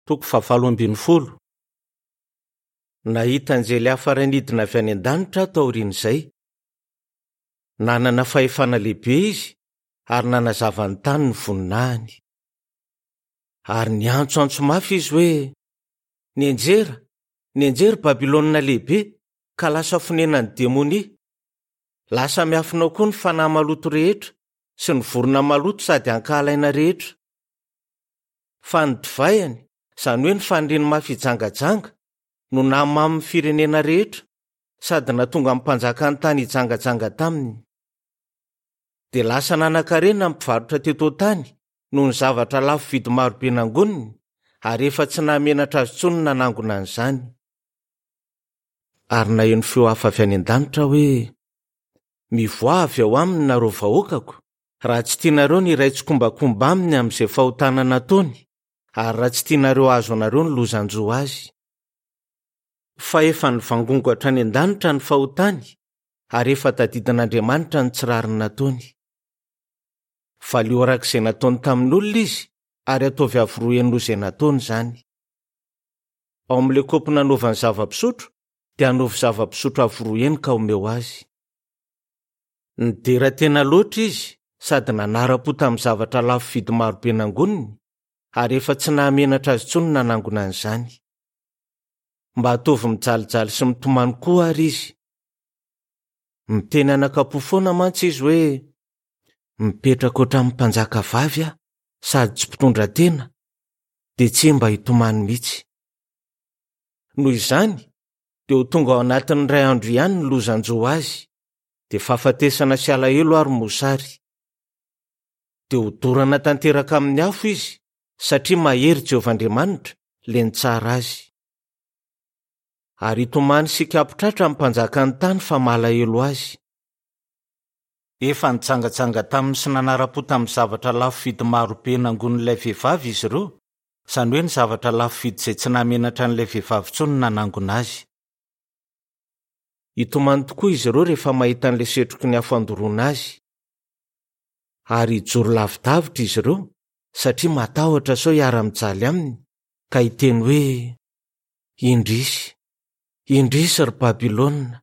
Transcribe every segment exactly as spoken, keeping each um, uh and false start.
Toko fahavalo ambin'ny folo. Nahita anjely hafa iray nidina avy any an-danitra aho taorian'izay. Nanana fahefana lehibe izy ary nanazava ny tany ny voninahiny. Ary niantsoantso mafy izy hoe: "Nianjera, nianjera Babylona lehibe, ka lasa fonenan'ny demonia. Lasa miafina ao koa ny fanahy maloto rehetra sy ny vorona maloto sady ankahalaina rehetra. Fa ny divainy, izany hoe ny faniriany mafy hijangajanga, no nahamamo ny firenena rehetra sady nahatonga ny mpanjakan'ny tany hijangajanga taminy. Dia lasa nanan-karena ny mpivarotra teto an-tany noho ny zavatra lafo vidy marobe nangoniny, ary efa tsy nahamenatra azy intsony ny nanangona an'izany. Ary naheno feo hafa avy any an-danitra hoe: "Mivoaha avy ao aminy nareo vahoakako, raha tsy tianareo ny hiray tsikombakomba aminy amin'izay fahotana nataony, ary raha tsy tianareo hahazo anareo ny lozan-jo azy. Fa efa nivangongo hatrany an-danitra ny fahotany, ary efa tadidin'Andriamanitra ny tsy rariny nataony. Valio araka izay nataony tamin'olona izy, ary ataovy avo roa heny noho izay nataony izany. Ao amin'ilay kaopy nanaovany zava-pisotro, dia anaovy zava-pisotro avo roa heny ka omeo azy. Nidera tena loatra izy sady nanara-po tamin'ny zavatra lafo vidy marobe nangoniny, ary efa tsy nahamenatra azy intsony ny nanangona an'izany. Mba ataovy mijalijaly sy mitomany koa ary izy. Miteny anakam-po foana mantsy izy hoe: "Mipetraka ohatran'ny mpanjaka vavy aho sady tsy mpitondra tena, dia tsy mba hitomany mihitsy." Noho izany, dia ho tonga ao anatin'ny iray andro ihany ny lozan-jo azy, dia fahafatesana sy alahelo ary mosary. Dia hodorana tanteraka amin'ny afo izy, satria mahery Jehovah Andriamanitra, ilay nitsara azy. Ary hitomany sy hikapo-tratra ny mpanjakan'ny tany fa malahelo azy. Efa nijangajanga taminy sy nanara-po tamin'ny zavatra lafo vidy marobe nangonin'ilay vehivavy izy ireo, izany hoe ny zavatra lafo vidy izay tsy nahamenatra an'ilay vehivavy intsony ny nanangona azy. Hitomany tokoa izy ireo rehefa mahita an'ilay setroky ny afo andoroana azy. Ary hijoro lavidavitra izy ireo satria matahotra sao hiara-mijaly aminy, ka hiteny hoe: "Indrisy, indrisy ry Babylona,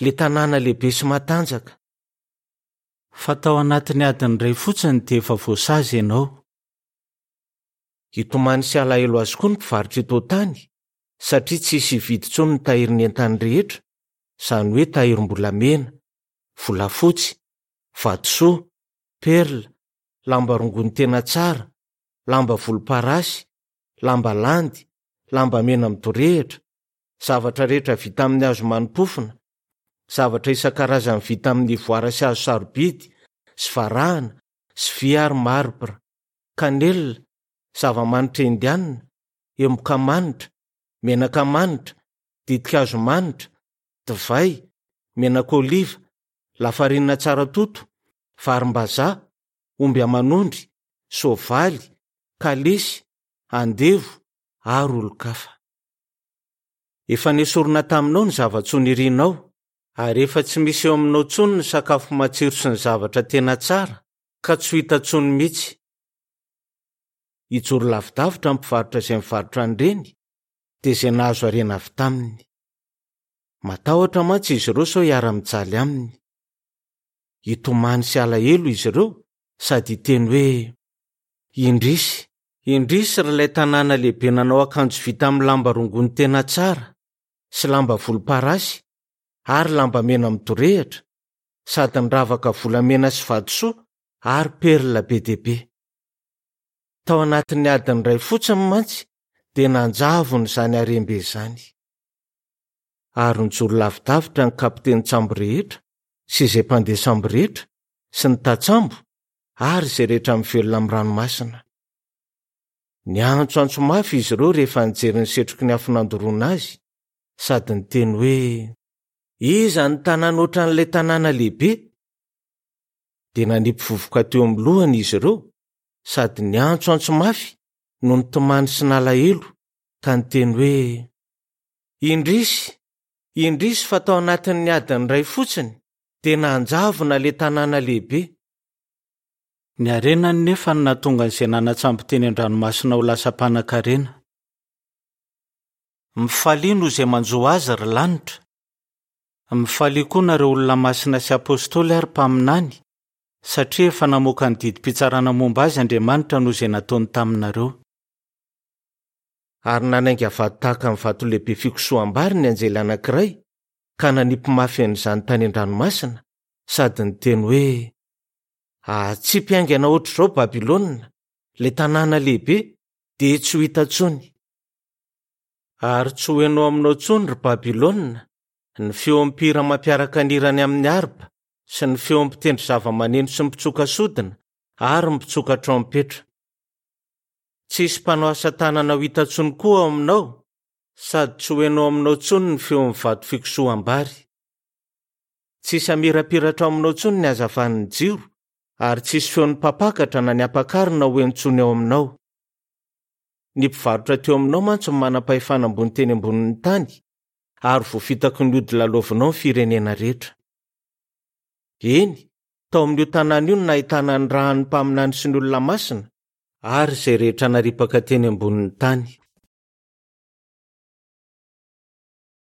ilay tanàna lehibe sy matanjaka! Fa tao anatin'ny adiny iray fotsiny dia efa voasazy ianao." Hitomany sy halahelo azy koa ny mpivarotra eto an-tany, satria tsy hisy hividy intsony ny tahirin'ny entany rehetra, izany hoe tahirim-bolamena, volafotsy, vatosoa, perla, lamba rongony tena tsara, lamba volomparasy, lamba landy, lamba mena midorehitra, zavatra rehetra vita amin'ny hazo manimpofona, zavatra isan-karazany vita amin'ny ivoara sy hazo sarobidy, sy varahana, sy vy ary marbra, kanelina, zava-manitra indianina, emboka manitra, menaka manitra, ditin-kazo manitra, divay, menaka oliva, lafarinina tsara toto, varim-bazaha, omby aman'ondry, soavaly, kalesy, andevo ary olon-kafa. Efa nesorina taminao ny zava-tsoa nirinao, ary efa tsy misy eo aminao intsony ny sakafo matsiro sy ny zavatra tena tsara, ka tsy ho hita intsony mihitsy. Hijoro lavidavitra ny mpivarotra izay mivarotra an'ireny, dia izay nahazo harena avy taminy. Matahotra mantsy izy ireo sao hiara-mijaly aminy. Hitomany sy halahelo izy ireo sady hiteny hoe: "Indrisy, indrisy ry ilay tanàna lehibe nanao akanjo vita amin'ny lamba rongony tena tsara sy lamba volomparasy ary lamba mena midorehitra, sady niravaka volamena sy vatosoa ary perla be dia be. Tao anatin'ny adiny iray fotsiny mantsy dia nanjavona izany harem-be izany." Ary nijoro lavidavitra ny kapitenin-tsambo rehetra sy izay mpandeha sambo rehetra sy ny tantsambo ary izay rehetra mivelona amin'ny ranomasina. Niantsoantso mafy izy ireo rehefa nijery ny setroky ny afo nandoroana azy, sady niteny hoe: "Iza ny tanàna ohatran'ilay tanàna lehibe?" Dia nanipy vovoka teo amin'ny lohany izy ireo, sady niantsoantso mafy no nitomany sy nalahelo, ka niteny hoe: "Indrisy, indrisy fa tao anatin'ny adiny iray fotsiny dia nanjavona ilay tanàna lehibe." Ny harenany nefa no nahatonga an'izay nanatsambo teny an-dranomasina ho lasa mpanankarena. Mifalia noho izay manjo azy, ry lanitra. Mifalia koa nareo olona masina sy apôstôly ary mpaminany, satria efa namoaka ny didim-pitsarana momba azy Andriamanitra noho izay nataony taminareo. Ary nanainga vato tahaka ny vato lehibe fikosoham-bary ny anjely anankiray, ka nanipy mafy an'izany tany an-dranomasina, sady niteny hoe: Atsipy haingana ohatr'izao Babylona, ilay tanàna lehibe, dia tsy ho hita intsony. Ary tsy ho heno aminao intsony, ry Babylona, ny feon'ny mpihira mampiaraka ny hirany amin'ny harpa, sy ny feon'ny mpitendry zava-maneno sy ny mpitsoka sodina ary ny mpitsoka trompetra. Tsy hisy mpanao asa tanana ho hita intsony koa ao aminao, sady tsy ho heno aminao intsony ny feon'ny vato fikosoham-bary. Tsy hisy hamirapiratra ao aminao intsony ny hazavan'ny jiro, ary tsy hisy feon'ny mpampakatra na ny ampakarina ho heno intsony ao aminao. Ny mpivarotra teo aminao mantsy no manam-pahefana ambony teny ambonin'ny tany, ary voafitaky ny ody lalaovinao ny firenena rehetra. Eny, tao amin'io tanàna io no nahitana ny ràn'ny mpaminany sy ny olona masina, ary izay rehetra naripaka teny ambonin'ny tany.